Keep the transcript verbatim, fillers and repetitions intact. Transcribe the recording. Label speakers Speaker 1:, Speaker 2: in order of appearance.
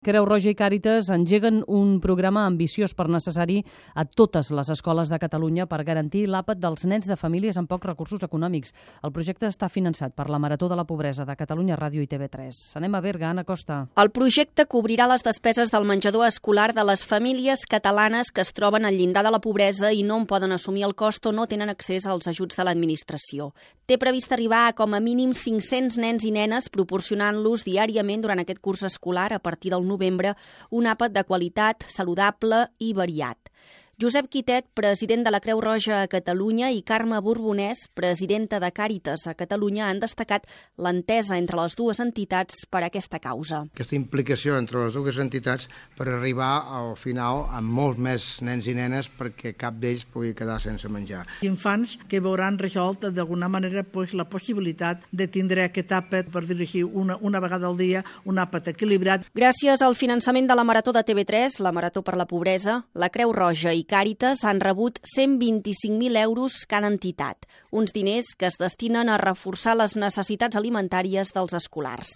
Speaker 1: Creu Roja i Càritas engeguen un programa ambiciós per necessari a totes les escoles de Catalunya per garantir l'àpat dels nens de famílies amb pocs recursos econòmics. El projecte està finançat per la Marató de la Pobresa de Catalunya Ràdio i T V tres. Anem a Berga, Anna Costa.
Speaker 2: El projecte cobrirà les despeses del menjador escolar de les famílies catalanes que es troben al llindar de la pobresa i no en poden assumir el cost o no tenen accés als ajuts de l'administració. Té previst arribar a com a mínim cinc-cents nens i nenes proporcionant-los diàriament durant aquest curs escolar a partir del novembre un àpat de qualitat, saludable i variat. Josep Quitet, president de la Creu Roja a Catalunya, i Carme Borbonès, presidenta de Càritas a Catalunya, han destacat l'entesa entre les dues entitats per a aquesta causa.
Speaker 3: Aquesta implicació entre les dues entitats per arribar al final amb molts més nens i nenes perquè cap d'ells pugui quedar sense menjar.
Speaker 4: Infants que veuran resolt d'alguna manera pues, la possibilitat de tindre aquest àpat, per dirigir una, una vegada al dia, un àpat equilibrat.
Speaker 2: Gràcies al finançament de la Marató de T V tres, la Marató per la Pobresa, la Creu Roja i Càritas han rebut cent vint-i-cinc mil euros cada entitat, uns diners que es destinen a reforçar les necessitats alimentàries dels escolars.